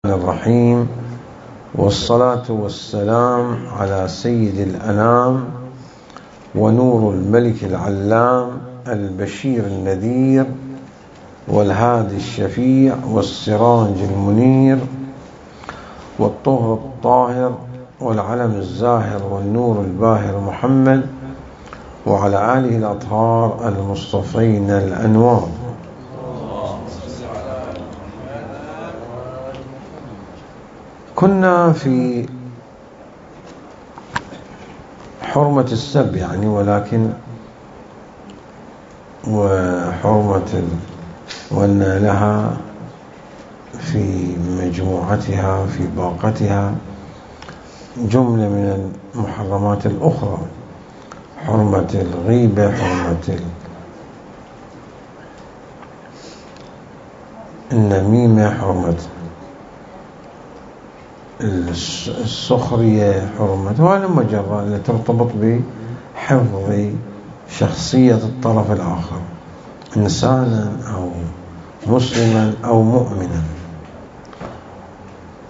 الرحيم، والصلاة والسلام على سيد الأنام ونور الملك العلام البشير النذير والهادي الشفيع والسراج المنير والطهر الطاهر والعلم الزاهر والنور الباهر محمد وعلى آله الأطهار المصطفين الأنوار. كنا في حرمة السب ولكن وحرمة وأن لها في مجموعتها في باقتها جملة من المحرمات الأخرى، حرمة الغيبة، حرمة النميمة، حرمة السخرية، حرمة وهذه المجرة التي ترتبط بحفظ شخصية الطرف الآخر إنسانا أو مسلما أو مؤمنا.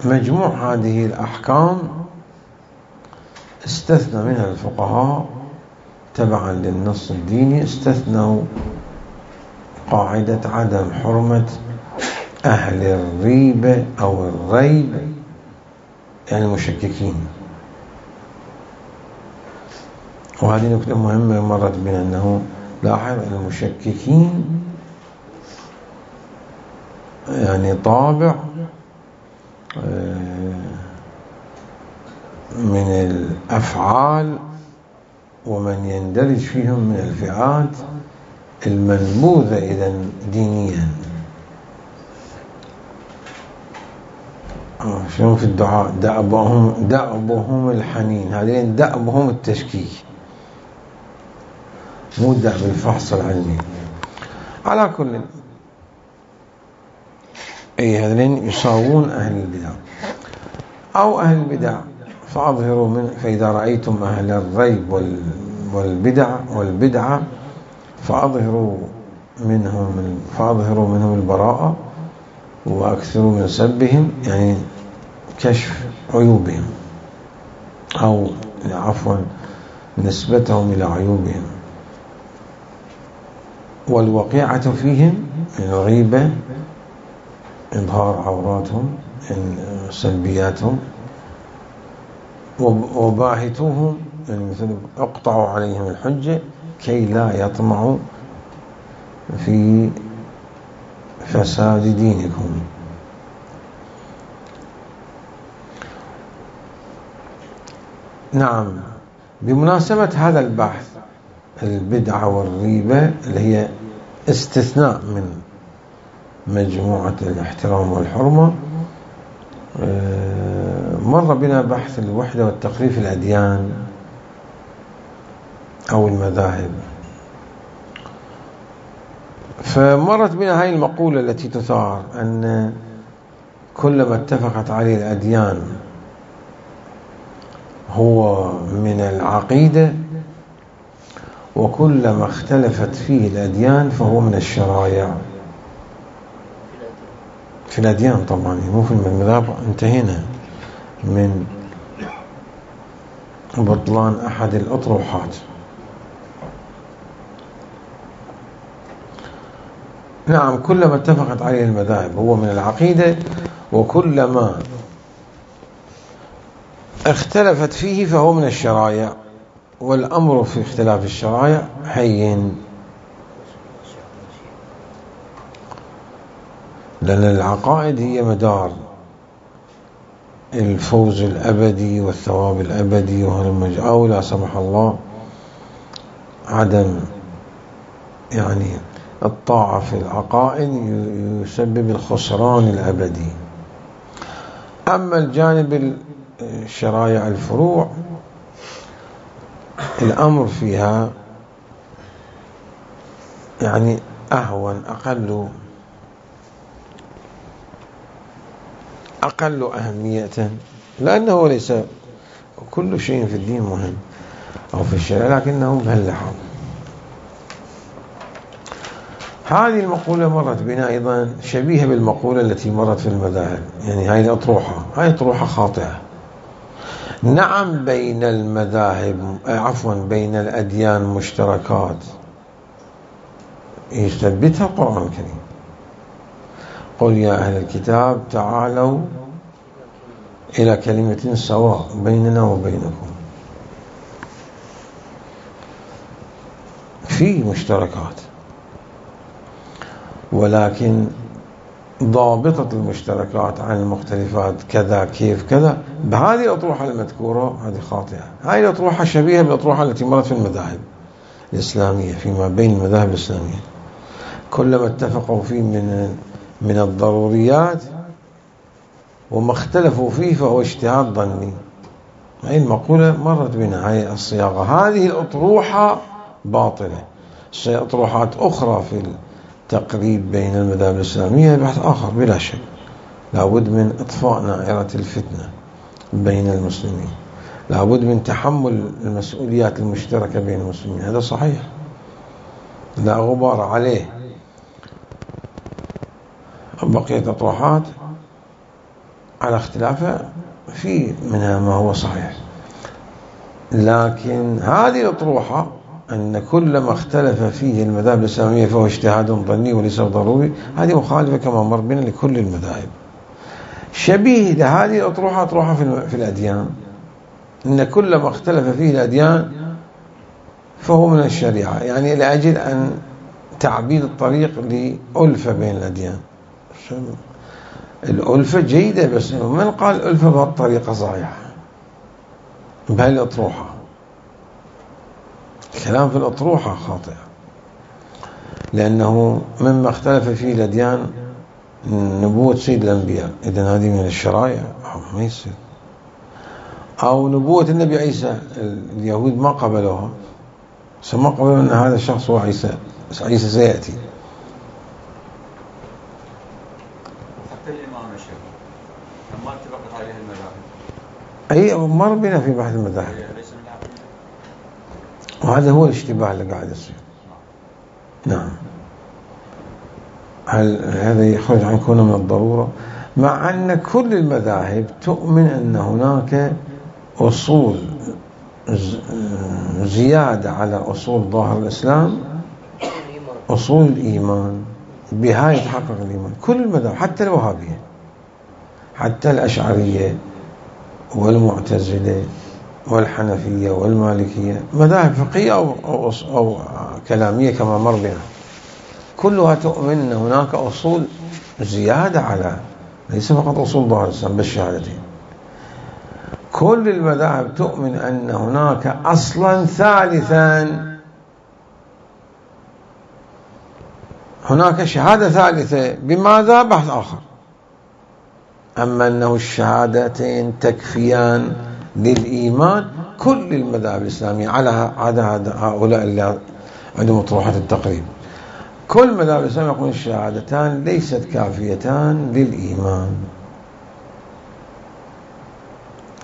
مجموع هذه الأحكام استثنى منها الفقهاء تبعا للنص الديني، استثنوا قاعدة عدم حرمة أهل الريبة أو الريب، يعني المشككين. وهذه نكتة مهمة مرت بنا، أنه لاحظ المشككين يعني طابع من الأفعال ومن يندرج فيهم من الفئات المنبوذة إذا دينيا. شلون في الدعاء دأبهم الحنين، هذين دأبهم التشكيك، مو دأب الفحص العلمي. على كل هذين يساوون أهل البدع أو أهل البدع، فأظهروا من فإذا رأيتم أهل الريب والبدعة فأظهروا منهم البراءة وأكثروا من سبهم، يعني كشف عيوبهم أو عفوا نسبتهم إلى عيوبهم. والوقيعة فيهم الغيبة، إظهار عوراتهم، سلبياتهم. وباهتوهم مثل اقطعوا عليهم الحجة كي لا يطمعوا في فساد دينكم. نعم، بمناسبة هذا البحث البدعة والريبة اللي هي استثناء من مجموعة الاحترام والحرمة، مر بنا بحث الوحدة والتقريب في الأديان أو المذاهب، فمرت بنا هاي المقولة التي تثار أن كلما اتفقت عليه الأديان هو من العقيدة، وكلما اختلفت فيه الأديان فهو من الشرائع. في الأديان طبعا، مو في المذاهب، انتهينا من بطلان أحد الأطروحات. نعم، كلما اتفقت عليه المذاهب هو من العقيدة، وكلما اختلفت فيه فهو من الشرائع. والأمر في اختلاف الشرائع هين، لأن العقائد هي مدار الفوز الأبدي والثواب الأبدي، أو لا سمح الله عدم يعني الطاعة في العقائد يسبب الخسران الأبدي. أما الجانب الشرائع الفروع الأمر فيها يعني أهون، أقل أهمية، لأنه ليس كل شيء في الدين مهم أو في الشرع، لكنه بهاللحاظ. هذه المقولة مرت بنا أيضا شبيهة بالمقولة التي مرت في المذاهب، يعني هاي الأطروحة، هاي أطروحة خاطئة. نعم بين المذاهب بين الأديان مشتركات يثبتها القرآن الكريم. قل يا أهل الكتاب تعالوا إلى كلمة سواء بيننا وبينكم. في مشتركات، ولكن ضابطة المشتركات عن المختلفات كذا كيف كذا بهذه الأطروحة المذكورة هذه خاطئة. هذه الأطروحة شبيهة بالأطروحة التي مرت في المذاهب الإسلامية، فيما بين المذاهب الإسلامية كلما اتفقوا فيه من الضروريات وما اختلفوا فيه فهو اجتهاد ظني. هذه المقولة مرت بنا، هذه الصياغة. هذه الأطروحة باطلة. أطروحات أخرى في التقريب بين المذاهب الإسلامية بحث آخر بلا شك، لابد من إطفاء نائرة الفتنة بين المسلمين، لابد من تحمل المسؤوليات المشتركة بين المسلمين، هذا صحيح لا غبار عليه. بقيت أطروحات على اختلافها في منها ما هو صحيح، لكن هذه الأطروحة أن كل ما اختلف فيه المذاهب الإسلامية فهو اجتهاد ظني وليس ضروري، هذه مخالفة كما مر بنا لكل المذاهب. شبيه لهذه الأطروحة أطروحة في الأديان، أن كل ما اختلف فيه الأديان فهو من الشريعة، يعني لأجل أن تعبيد الطريق لألفة بين الأديان. الألفة جيدة، بس من قال الألفة بهالطريقة صحيحة بهذه الأطروحة؟ الكلام في الأطروحة خاطئ، لأنه مما اختلف فيه الأديان نبوة سيد الأنبياء، إذن هذه من الشرائع ما يصير. أو نبوة النبي عيسى، اليهود ما قبلوها، ما قبلوا أن هذا الشخص هو عيسى سيأتي. حتى الإمام الشافعي ما اتفقت عليه المذاهب. أي مر بنا في بحث المذاهب، وهذا هو الاشتباه اللي قاعد يصير. نعم، هل هذا يخرج عن كونه من الضرورة؟ مع أن كل المذاهب تؤمن أن هناك أصول زيادة على أصول ظاهر الإسلام، أصول الإيمان، بها يتحقق الإيمان. كل المذاهب حتى الوهابية، حتى الأشعرية والمعتزلة والحنفية والمالكية، مذاهب فقهية أو كلامية كما مر بنا، كلها تؤمن أن هناك أصول زيادة على، ليس فقط أصول ظاهر الإسلام بالشهادتين. كل المذاهب تؤمن أن هناك أصلا ثالثا، هناك شهادة ثالثة. بماذا؟ بحث آخر. أما أنه الشهادتين تكفيان للإيمان، كل المذاهب الإسلامية على هؤلاء اللي عندهم أطروحة التقريب، كل مذاهب الإسلام يقول الشهادتان ليست كافيتان للإيمان،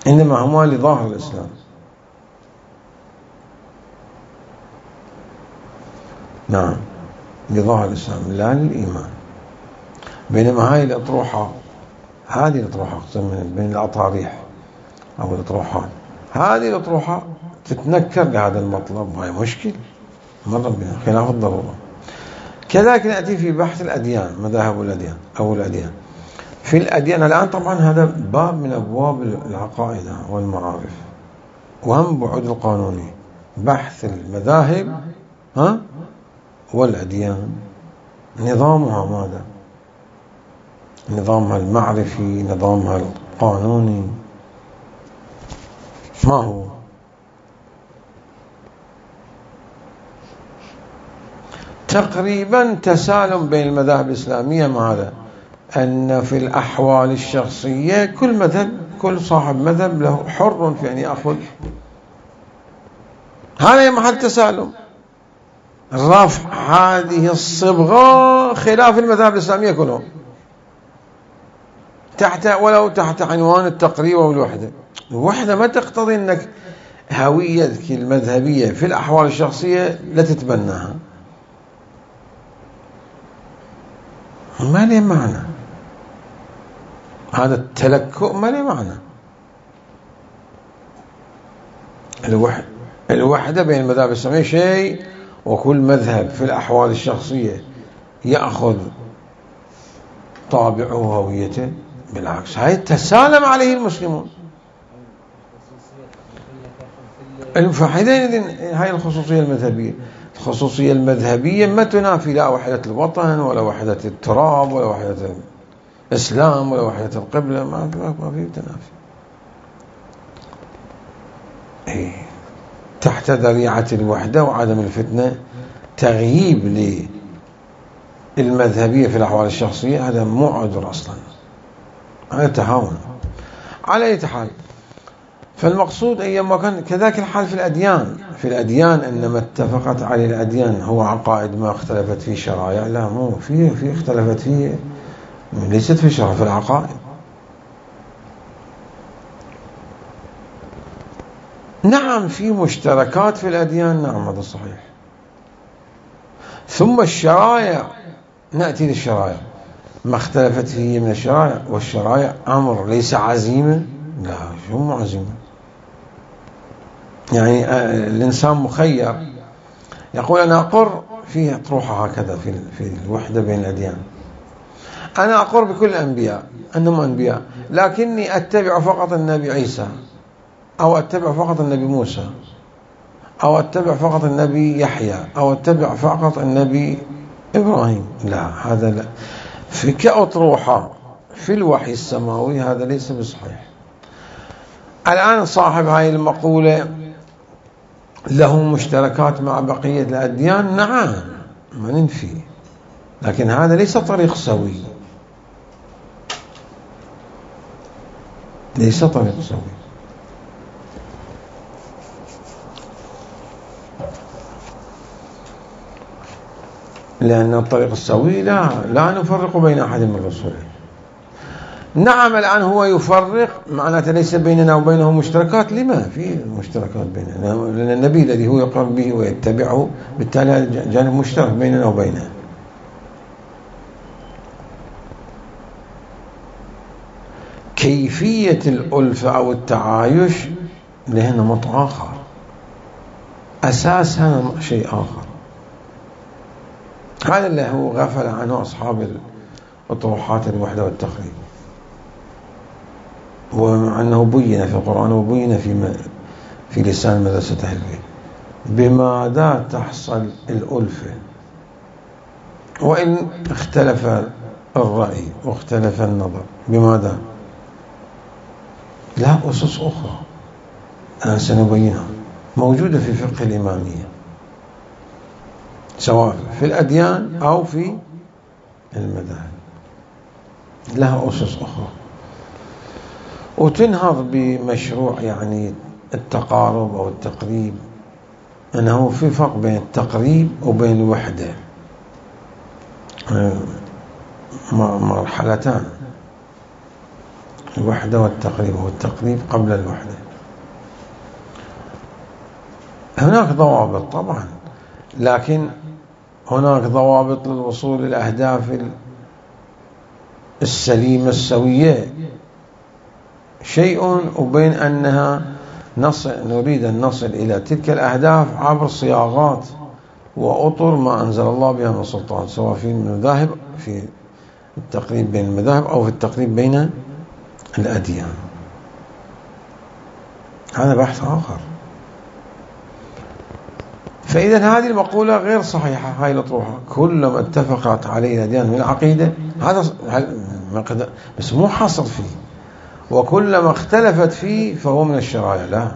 إنما هما لظاهر الإسلام. نعم، لظاهر الإسلام لا للإيمان. بينما هذه الأطروحة بين الأطاريح أو الأطروحات، هذه الأطروحة تتنكر لهذا المطلب، وهي مشكل مرة بنا خلاف الضرورة. كذلك نأتي في بحث الأديان، مذاهب الأديان أو الأديان. في الأديان الآن طبعا هذا باب من أبواب العقائد والمعارف، وهم بعد القانوني، بحث المذاهب والأديان. نظامها ماذا؟ نظامها المعرفي، نظامها القانوني ما هو؟ تقريبا تسالم بين المذاهب الإسلامية ماذا؟ أن في الأحوال الشخصية كل صاحب مذهب له حر في أن يأخذ، هذا محل تسالم. رفع هذه الصبغة خلاف المذاهب الإسلامية كلهم، ولو تحت عنوان التقريب والوحدة. الوحدة ما تقتضي أنك هويتك المذهبية في الأحوال الشخصية لا تتبناها، ما له معنى، هذا التلكؤ ما له معنى. الوحدة بين المذاهب الإسلامية شيء، وكل مذهب في الأحوال الشخصية يأخذ طابعه وهويته. بالعكس، هاي تسالم عليه المسلمون. فحينئذ هاي الخصوصية المذهبية، الخصوصية المذهبية ما تنافي لا وحدة الوطن ولا وحدة التراب ولا وحدة الإسلام ولا وحدة القبلة، ما في تنافي. تحت ذريعة الوحدة وعدم الفتنة تغييب للمذهبية في الأحوال الشخصية، هذا مو عذر أصلا، هذا تهاون. على أي حال، فالمقصود أيما كان كذلك الحال في الأديان إنما اتفقت عليه الأديان هو عقائد ما اختلفت فيه شرائع. لا، مو في اختلفت فيه، ليست في شرائع، في العقائد. نعم في مشتركات في الأديان، نعم هذا صحيح. ثم الشرائع، نأتي للشرائع، ما اختلفت فيه من الشرائع، والشرائع أمر ليس عزيمة. لا، شو مو عزيمة؟ يعني الإنسان مخير، يقول أنا أقر في أطروحة هكذا في الوحدة بين الأديان، أنا أقر بكل الأنبياء أنهم أنبياء، لكني أتبع فقط النبي عيسى، أو أتبع فقط النبي موسى، أو أتبع فقط النبي يحيى، أو أتبع فقط النبي إبراهيم. لا، هذا لا، في كأطروحة في الوحي السماوي هذا ليس بصحيح. الآن صاحب هاي المقولة له مشتركات مع بقية الأديان، نعم ما ننفي، لكن هذا ليس طريق سوي، ليس طريق سوي. لأن الطريق السوي لا نفرق بين أحد من رسله. نعم الآن هو يفرق، معناته ليس بيننا وبينه مشتركات. لما في مشتركات بيننا؟ لأن النبي الذي هو يقر به ويتبعه، بالتالي جانب مشترك بيننا وبينه. كيفية الألفة أو التعايش لها نمط آخر، أساسها شيء آخر. هذا اللي هو غفل عنه أصحاب الأطروحات الوحدة والتقريب، ومع أنه بين في القرآن وبين في لسان مدرسة أهل البيت. بماذا تحصل الألفة؟ وإن اختلف الرأي واختلف النظر، بماذا؟ لا، أسس أخرى الآن سنبينها، موجودة في فقه الإمامية، سواء في الأديان أو في المذاهب، لها أسس أخرى، وتنهض بمشروع يعني التقارب أو التقريب. أنه في فرق بين التقريب وبين الوحدة، مرحلتان، الوحدة والتقريب، والتقريب قبل الوحدة. هناك ضوابط طبعا، لكن هناك ضوابط للوصول للأهداف السليمة السوية شيء، وبين أنها نريد أن نصل إلى تلك الأهداف عبر صياغات وأطر ما أنزل الله بها من سلطان، سواء في المذاهب، في التقريب بين المذاهب، أو في التقريب بين الأديان. هذا بحث آخر. فإذا هذه المقولة غير صحيحة. هاي الأطروحة كلما اتفقت عليه الأديان من العقيدة، هذا بس مو حاصل فيه، وكلما اختلفت فيه فهو من الشرائع. لا،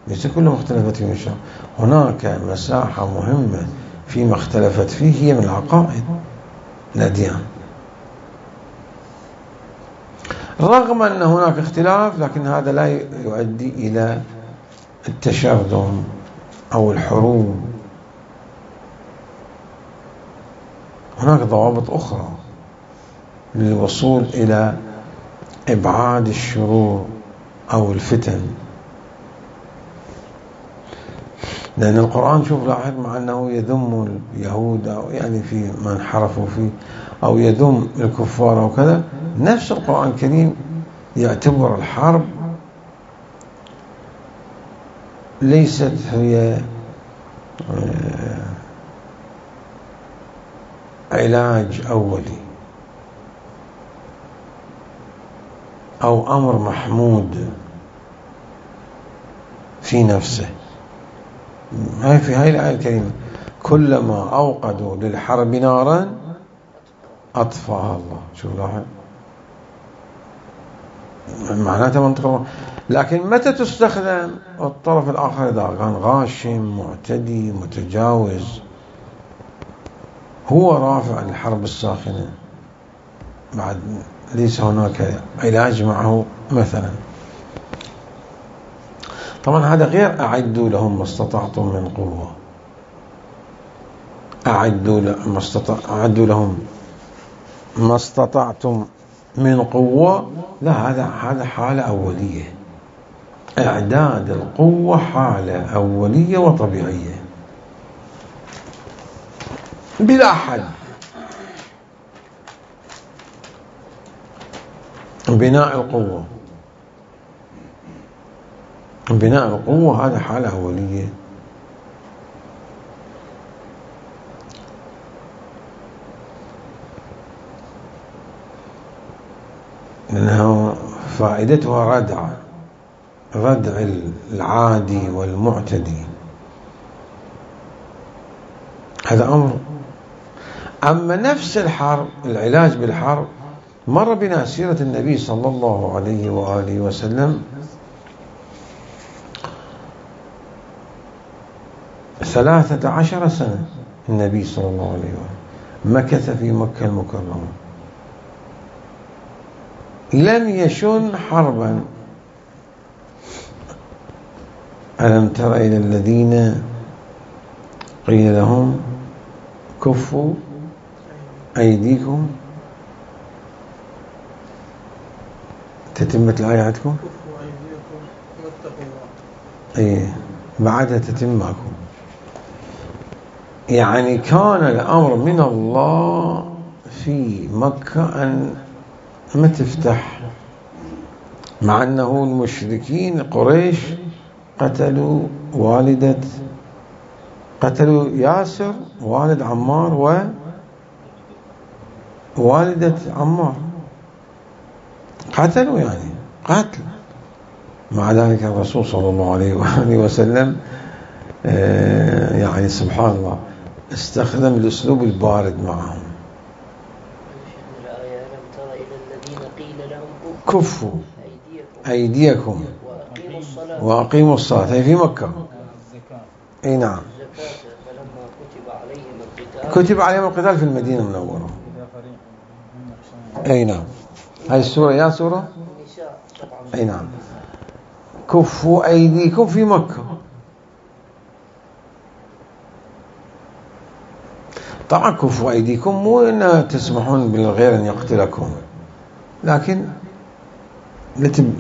ليس كلما اختلفت فيه من الشرائع، هناك مساحة مهمة فيما اختلفت فيه هي من العقائد الأديان، رغم أن هناك اختلاف، لكن هذا لا يؤدي إلى التشرذم أو الحروب. هناك ضوابط أخرى للوصول إلى إبعاد الشرور أو الفتن. لأن القرآن شوف لاحظ، مع أنه يذم اليهود أو يعني في ما انحرفوا فيه، أو يذم الكفار أو كذا، نفس القرآن الكريم يعتبر الحرب ليست هي علاج أولي أو أمر محمود في نفسه. في هاي الآية الكريمة كلما أوقدوا للحرب نارا أطفأها الله. شوف لاحظ معناتها منطقة. لكن متى تستخدم؟ الطرف الآخر إذا كان غاشم معتدي متجاوز، هو رافع الحرب الساخنة، بعد ليس هناك علاج معه مثلا. طبعا هذا غير أعدوا لهم ما استطعتم من قوة، أعدوا لهم ما استطعتم من قوة، لا هذا حالة أولية. إعداد القوة حالة أولية وطبيعية بلا حد. بناء القوة هذا حالة أولية. لأنها فائدتها ردع العادي والمعتدي، هذا أمر. أما نفس الحرب، العلاج بالحرب، مر بنا سيرة النبي صلى الله عليه وآله وسلم 13 سنة. النبي صلى الله عليه وآله مكث في مكة المكرمة، لم يشن حربا. ألم تر إلى الذين قيل لهم كفوا أيديكم، تتمة الآية عندكم؟ كفوا أيديكم واتقوا الله. إيه بعدها تتمكم. يعني كان الأمر من الله في مكة أن ما تفتح، مع أنه المشركين قريش قتلوا ياسر والد عمار ووالدة عمار، قتلوا يعني قتل. مع ذلك الرسول صلى الله عليه وآله وسلم يعني سبحان الله استخدم الأسلوب البارد معهم. كفوا أيديكم وأقيموا الصلاة، هي في مكة. أي نعم، كتب عليهم القتال في المدينة المنورة. أي نعم، هاي السورة يا سورة. أي نعم، كفوا أيديكم في مكة. طبعا كفوا أيديكم مو أن تسمحون بالغير أن يقتلكم، لكن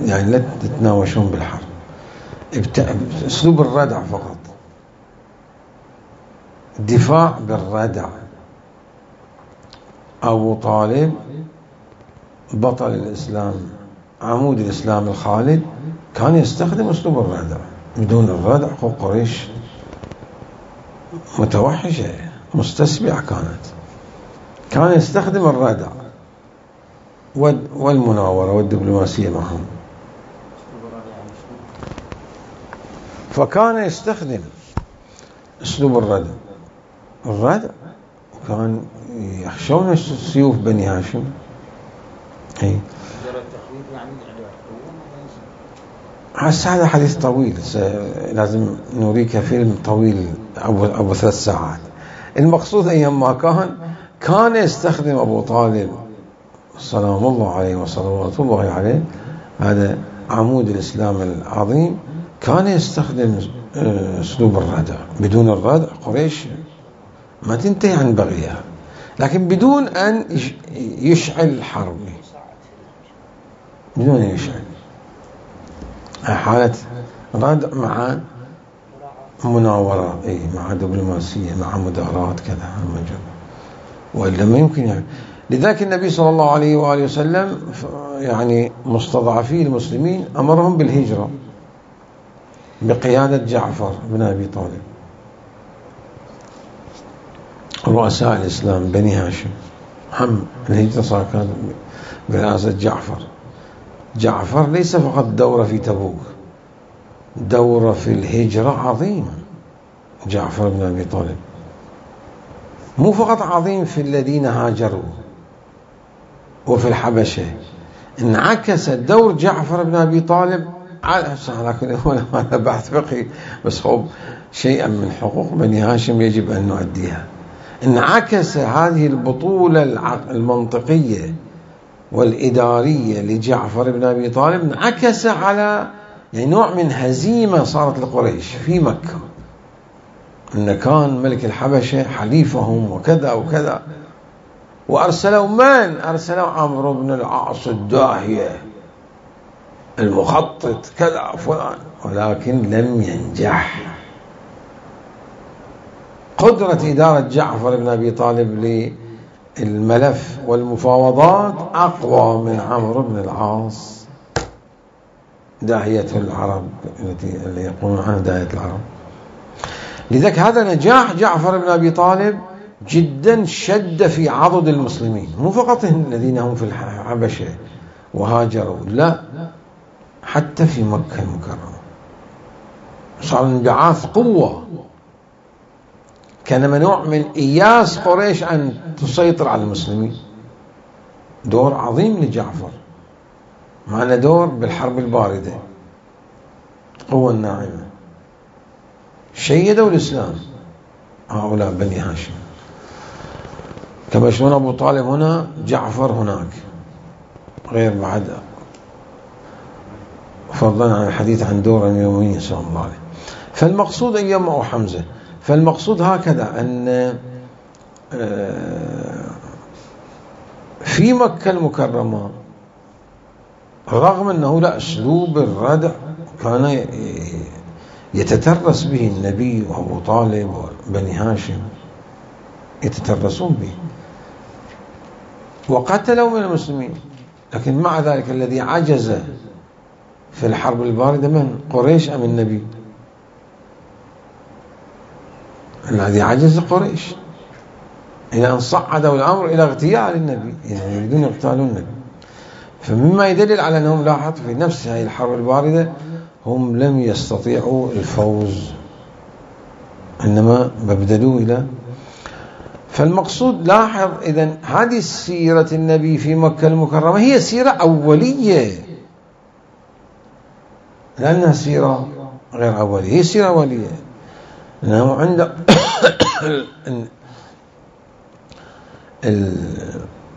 لا تتناوشون بالحرب، اسلوب الردع فقط، دفاع بالردع. أبو طالب بطل الإسلام، عمود الإسلام الخالد، كان يستخدم اسلوب الردع. بدون الردع قريش متوحشة مستسبعة كان يستخدم الردع والمناورة والدبلوماسية معهم. فكان يستخدم اسلوب الردع كان يخشون سيوف بني هاشم. اي هذا حديث طويل، لازم نوريك فيلم طويل أبو 3 ساعات. المقصود أيما كان يستخدم أبو طالب سلام الله عليه وصلوات الله عليه، هذا عمود الإسلام العظيم، كان يستخدم أسلوب الردع. بدون الردع قريش ما تنتهي عن بغيها، لكن بدون أن يشعل حرب، بدون أن يشعل. حالة ردع مع مناورة، مع دبلوماسية، مع مدارات كذا، وإلا ما يمكن يعني. لذلك النبي صلى الله عليه وآله وسلم يعني مستضعفي المسلمين أمرهم بالهجرة بقيادة جعفر بن أبي طالب. رؤساء الإسلام بني هاشم هم الهجرة صار كانت برئاسة جعفر. جعفر ليس فقط دورة في تبوك، دورة في الهجرة عظيمة. جعفر بن أبي طالب مو فقط عظيم في الذين هاجروا وفي الحبشة، انعكس دور جعفر بن أبي طالب على هذا بحث فقهي، بس هو شيئا من حقوق بني هاشم يجب أن نؤديها. انعكس هذه البطولة المنطقية والإدارية لجعفر بن أبي طالب، انعكس على يعني نوع من هزيمة صارت لقريش في مكة، إن كان ملك الحبشة حليفهم وكذا وكذا، وأرسلوا من؟ أرسلوا عمرو بن العاص الداهية المخطط كذا فلان، ولكن لم ينجح. قدرة إدارة جعفر بن أبي طالب للملف والمفاوضات أقوى من عمرو بن العاص داهية العرب اللي يقولون عنها داهية العرب. لذلك هذا نجاح جعفر بن أبي طالب جدا شد في عضد المسلمين، مو فقط الذين هم في الحبشة وهاجروا، لا، حتى في مكة المكرمة صار انبعاث قوة، كان منوع من إياس قريش أن تسيطر على المسلمين. دور عظيم لجعفر، معنا دور بالحرب الباردة، قوة الناعمة، شيدوا الإسلام هؤلاء بني هاشم، كما شلون أبو طالب هنا جعفر هناك، غير بعد فضلا عن الحديث عن دور أمير المؤمنين صلى الله عليه. فالمقصود أيام أو حمزة، فالمقصود هكذا أن في مكة المكرمة رغم أنه لا أسلوب الردع كان يتترس به النبي وأبو طالب وبني هاشم يتترسون به، وقتلوا من المسلمين، لكن مع ذلك الذي عجز في الحرب الباردة من؟ قريش أم النبي؟ الذي عجز قريش، إلى أن صعدوا الأمر إلى اغتيال النبي، يعني يريدون يقتالون النبي. فمما يدلل على أنهم لاحظ في نفس هذه الحرب الباردة هم لم يستطيعوا الفوز، إنما بدلوا إلى. فالمقصود لاحظ إذن هذه سيرة النبي في مكة المكرمة هي سيرة أولية، لأنها سيرة غير أولية، هي سيرة أولية، لأنه عند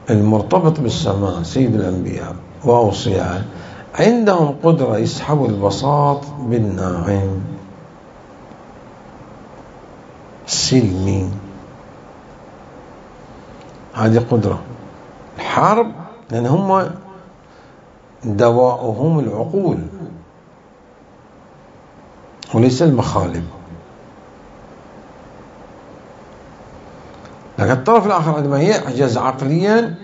المرتبط بالسماء سيد الأنبياء وأوصياء عندهم قدرة يسحبوا البساط بالناعم سلمي، هذه قدرة الحرب، لأن هم دواؤهم العقول وليس المخالب. لكن الطرف الآخر عندما يعجز عقليا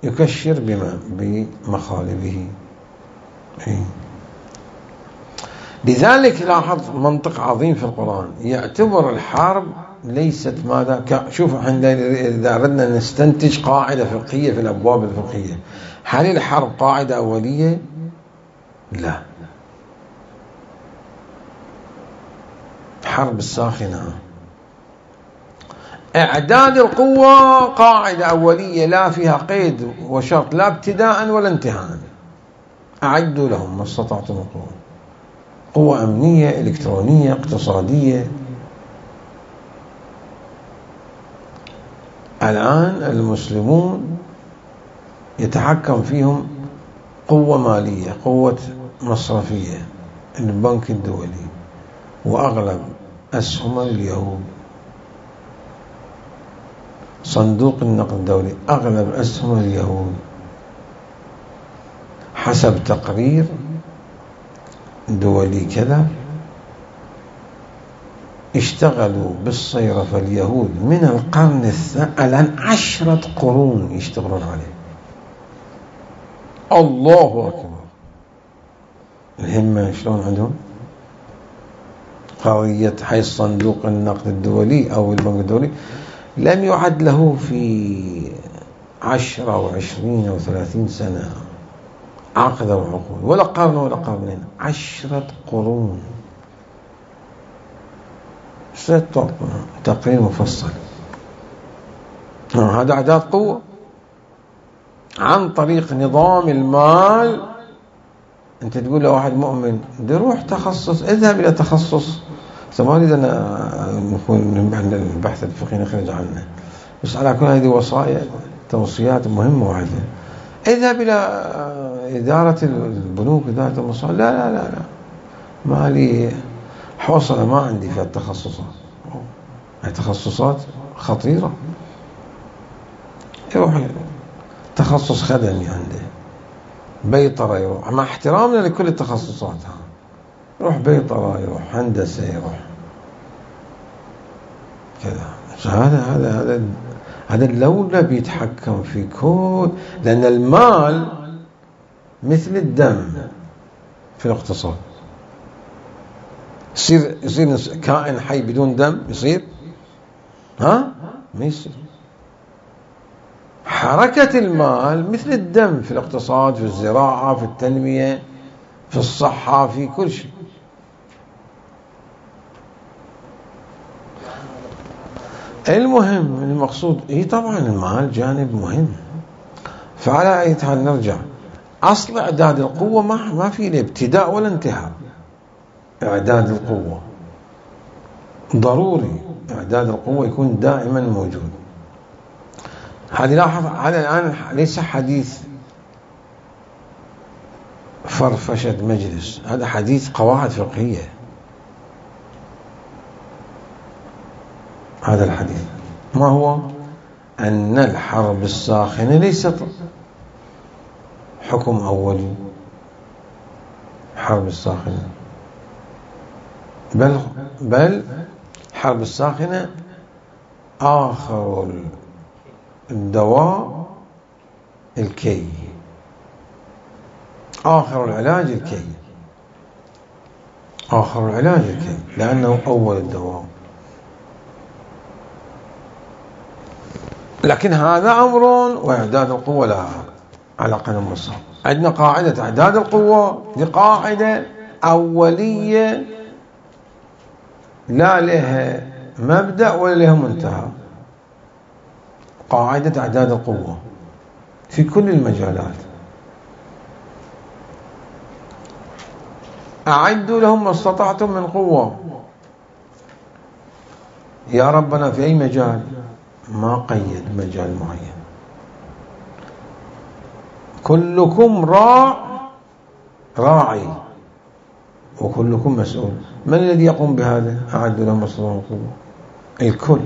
يكشر بمخالبه. لذلك لاحظ منطق عظيم في القرآن، يعتبر الحرب ليست ماذا شوف إذا أردنا نستنتج قاعدة فقهية في الأبواب الفقهية، هل الحرب قاعدة أولية؟ لا، حرب الساخنة إعداد القوة قاعدة أولية لا فيها قيد وشرط، لا ابتداء ولا انتهاء. أعدوا لهم ما استطعتم من قوة، قوة أمنية، إلكترونية، اقتصادية. الآن المسلمون يتحكم فيهم قوة مالية، قوة مصرفية، البنك الدولي، وأغلب أسهم اليهود، صندوق النقد الدولي، أغلب أسهم اليهود حسب تقرير دولي كذا اشتغلوا بالصيرفة اليهود من القرن الآن 10 قرون يشتغلون عليه. الله أكبر، الهمة شلون عندهم. قضية حي صندوق النقد الدولي أو البنك الدولي لم يعد له في 10 أو 20 أو 30 سنة عقد أو عقود، ولا قرن ولا قرنين، 10 قرون. تقرير مفصل. هذا أعداد قوة عن طريق نظام المال. أنت تقول لواحد مؤمن روح تخصص، اذهب إلى تخصص. ما أريد أن نكون البحث الفقهي نخرج عنه، بس على كل هذه وصايا توصيات مهمة واحدة. اذهب إلى إدارة البنوك، إدارة المصالح. لا لا لا لا، ما لي حوصلة، ما عندي في التخصصات. تخصصات خطيرة. يروح تخصص خدمي عنده، بيطرة يروح، مع احترامنا لكل التخصصات، يروح بيطرة، يروح هندسة، يروح كذا. هذا الدولة بيتحكم في كل، لأن المال مثل الدم في الاقتصاد. يصير كائن حي بدون دم يصير؟ ما يصير. حركة المال مثل الدم في الاقتصاد، في الزراعة، في التنمية، في الصحة، في كل شيء. المهم المقصود طبعا المال جانب مهم. فعلى أي حال نرجع، أصل إعداد القوة ما في له ابتداء ولا انتهاء. إعداد القوة ضروري، إعداد القوة يكون دائما موجود. هذه لاحظ، هذا الآن ليس حديث فرفشة مجلس، هذا حديث قواعد فقهية. هذا الحديث ما هو؟ أن الحرب الساخنة ليست حكم أولي، حرب الساخنة، بل حرب الساخنة آخر الدواء الكي، آخر العلاج الكي، آخر العلاج الكي، لأنه أول الدواء. لكن هذا أمر، وإعداد القوة لا علاقة بالمصاب. عندنا قاعدة إعداد القوة، دي قاعدة أولية لا لها مبدأ ولا لها منتهى. قاعدة إعداد القوة في كل المجالات. أعدوا لهم ما استطعتم من قوة. يا ربنا في أي مجال؟ ما قيد مجال معين. كلكم راعي وكلكم مسؤول. من الذي يقوم بهذا؟ أعدوا لهم ما استطعتم من قوة. الكل.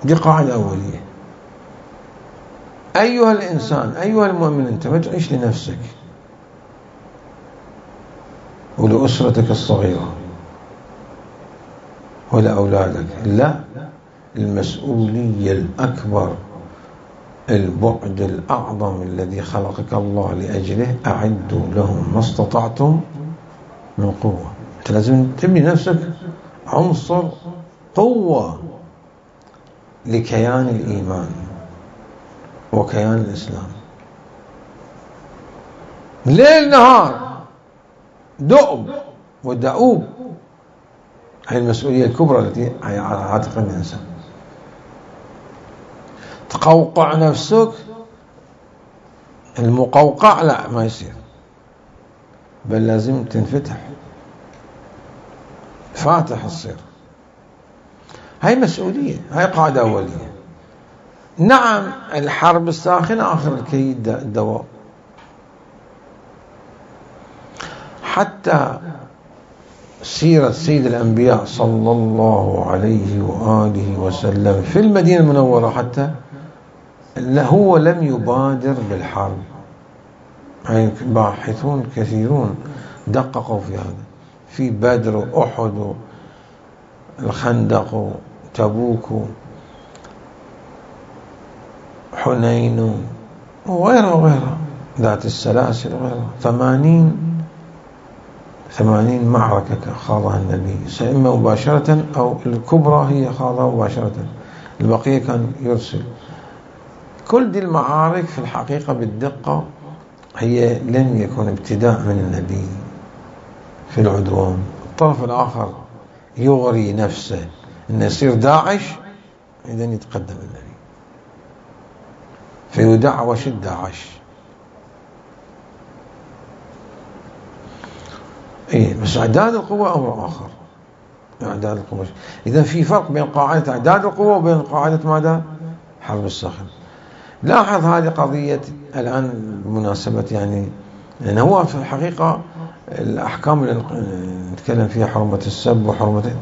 دي قاعدة أولية. أيها الإنسان، أيها المؤمن، أنت ما تعيش لنفسك ولأسرتك الصغيرة ولا أولادك، لا، المسؤولية الأكبر، البعد الأعظم الذي خلقك الله لأجله. أعدوا لهم ما استطعتم من قوة. أنت لازم تبني نفسك عنصر قوة لكيان الإيمان وكيان الإسلام. ليل نهار دؤب ودؤوب. هي المسؤولية الكبرى التي على عاتق الإنسان. تقوقع نفسك، المقوقع لا ما يصير، بل لازم تنفتح، فاتح الصير. هاي مسؤولية، هاي قاعدة أولية. نعم الحرب الساخنة آخر الكي الدواء. حتى سيرة سيد الأنبياء صلى الله عليه وآله وسلم في المدينة المنورة، حتى هو لم يبادر بالحرب. يعني باحثون كثيرون دققوا في هذا، في بدر وأحد والخندق وتبوك وحنين وغيرها ذات السلاسل وغيرها. 80 معركة خاضها النبي، إما مباشرة أو الكبرى هي خاضها مباشرة، البقية كان يرسل. كل دي المعارك في الحقيقة بالدقة هي لم يكن ابتداء من النبي في العدوان. الطرف الآخر يغري نفسه أنه يصير داعش، إذن يتقدم النبي فيدعوش الداعش. بس إعداد القوة أمر آخر. إعداد القوة، إذا في فرق بين قاعدة إعداد القوة وبين قاعدة ماذا؟ حرب الصخر. لاحظ هذه قضية الآن بمناسبة يعني، لأن هو في الحقيقة الأحكام اللي نتكلم فيها حرمة السب وحرمة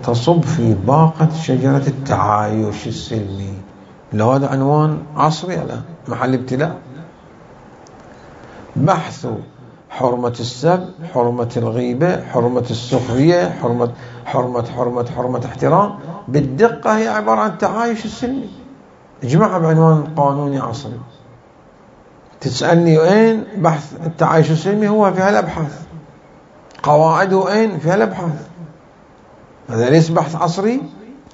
تصب في باقة شجرة التعايش السلمي. لو هذا عنوان عصري الآن، محل ابتلاء. بحث حرمة السب، حرمة الغيبة، حرمة السخرية، حرمة احترام، بالدقة هي عبارة عن التعايش السلمي. اجمعها بعنوان قانوني عصري. تسألني وين بحث التعايش السلمي؟ هو في هالأبحاث. قواعده وين؟ في هالأبحاث. هذا ليس بحث عصري،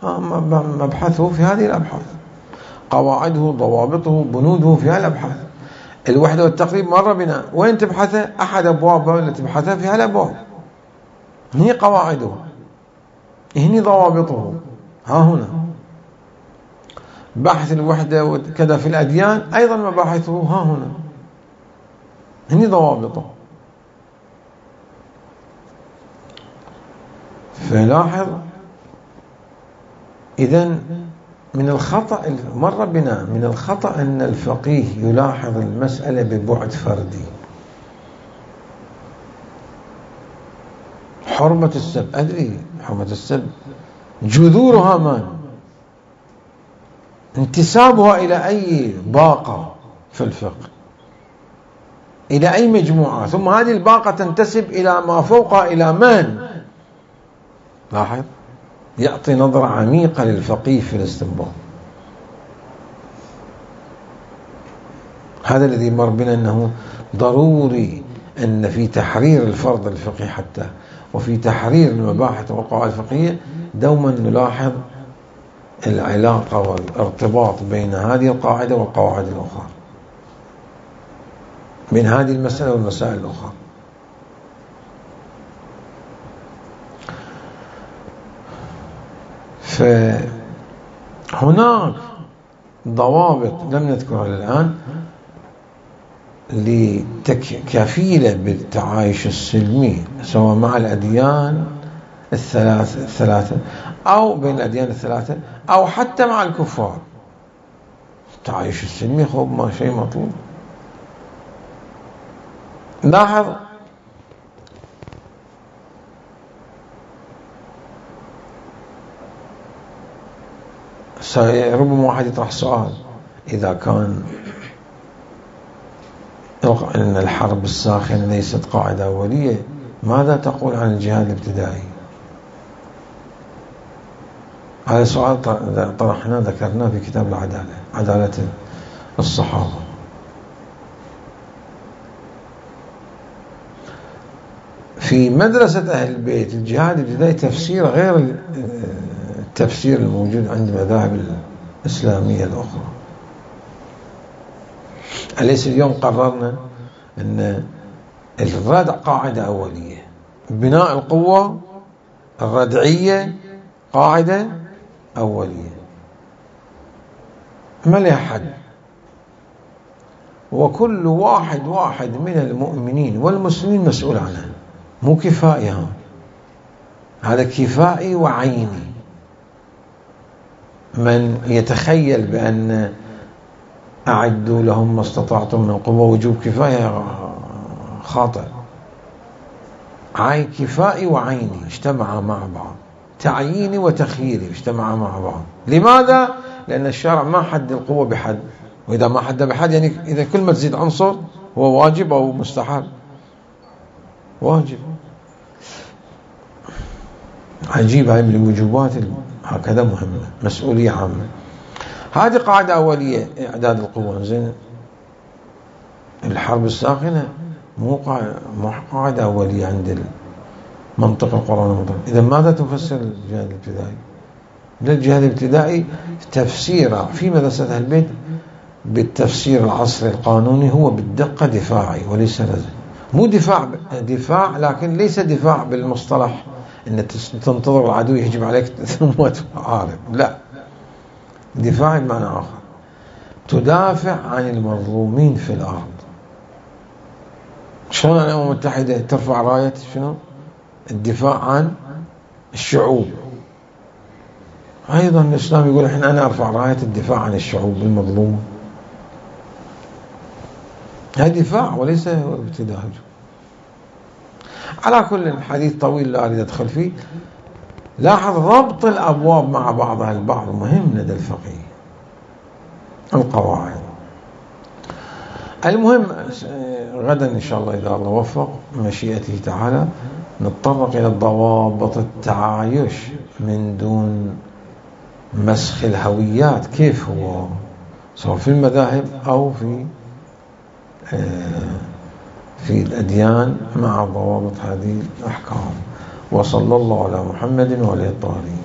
مبحثه في هذه الأبحاث. قواعده، ضوابطه، بنوده في هالأبحاث. الوحدة والتقريب مر بنا، وين تبحثه؟ أحد أبوابه اللي تبحثه في هالأبواب. هني قواعده، هني ضوابطه، ها هنا. بحث الوحدة وكذا في الأديان أيضا مباحثه ها هنا، هني ضوابطه. فلاحظ إذن من الخطأ مر بنا، من الخطأ أن الفقيه يلاحظ المسألة ببعد فردي. حرمة السب، أدري حرمة السب جذورها ما انتسابها إلى أي باقة في الفقه، إلى أي مجموعة، ثم هذه الباقة تنتسب إلى ما فوقها إلى من؟ لاحظ، يعطي نظرة عميقة للفقيه في الاستنباط. هذا الذي مر بنا، أنه ضروري أن في تحرير الفرض الفقهي حتى وفي تحرير المباحث والقواعد الفقهية دوما نلاحظ العلاقة والارتباط بين هذه القاعدة والقواعد الأخرى، بين هذه المسألة والمسائل الأخرى. فهناك ضوابط لم نذكرها الآن لكفيلة بالتعايش السلمي، سواء مع الأديان الثلاثة أو بين الأديان الثلاثة أو حتى مع الكفار. التعايش السلمي هو ما شيء مطلوب. لاحظ ربما واحد يطرح سؤال، إذا كان أن الحرب الساخنة ليست قاعدة أولية، ماذا تقول عن الجهاد الابتدائي؟ هذا سؤال طرحناه ذكرناه في كتاب العدالة، عدالة الصحابة. في مدرسة أهل البيت الجهاد الابتدائي تفسير غير التفسير الموجود عند المذاهب الإسلامية الأخرى. أليس اليوم قررنا أن الردع قاعدة أولية، بناء القوة الردعية قاعدة أولية ما لها حد، وكل واحد من المؤمنين والمسلمين مسؤول عنها، مو كفائي، هذا كفائي وعيني. من يتخيل بأن أعدوا لهم ما استطعتم من قوة وجوب كفاية خاطئ. كفائي وعيني اجتمعا مع بعض، تعييني وتخييري اجتمعا مع بعض. لماذا؟ لأن الشرع ما حد القوة بحد، وإذا ما حد بحد يعني إذا كل ما تزيد عنصر هو واجب أو مستحب. واجب. عجيب، هاي من الوجوبات هكذا مهمة، مسؤولية عامة. هذه قاعدة أولية إعداد القوة. زين، الحرب الساخنة مو قاعدة أولية عند منطق القرآن المطلق. إذا ماذا تفسر الجهاد الابتدائي؟ الجهاد الابتدائي تفسيره في مدرسة أهل البيت بالتفسير العصري القانوني هو بالدقة دفاعي وليس لازم. مو دفاع، لكن ليس دفاع بالمصطلح ان تنتظر العدو يهجم عليك ثم تعارض، لا، دفاع بمعنى آخر، تدافع عن المظلومين في الأرض. شلون الأمم المتحدة ترفع راية شنو؟ الدفاع عن الشعوب. أيضا الإسلام يقول أنا أرفع راية الدفاع عن الشعوب المظلومة. هذا دفاع وليس ابتداء. على كل، الحديث طويل لا أريد أدخل فيه. لاحظ ربط الأبواب مع بعضها البعض مهم لدى الفقيه، القواعد. المهم غدا إن شاء الله إذا الله وفق مشيئته تعالى نتطرق إلى ضوابط التعايش من دون مسخ الهويات، كيف هو سواء في المذاهب أو في الأديان مع ضوابط هذه الأحكام. وصلى الله على محمد وعلى الطاهرين.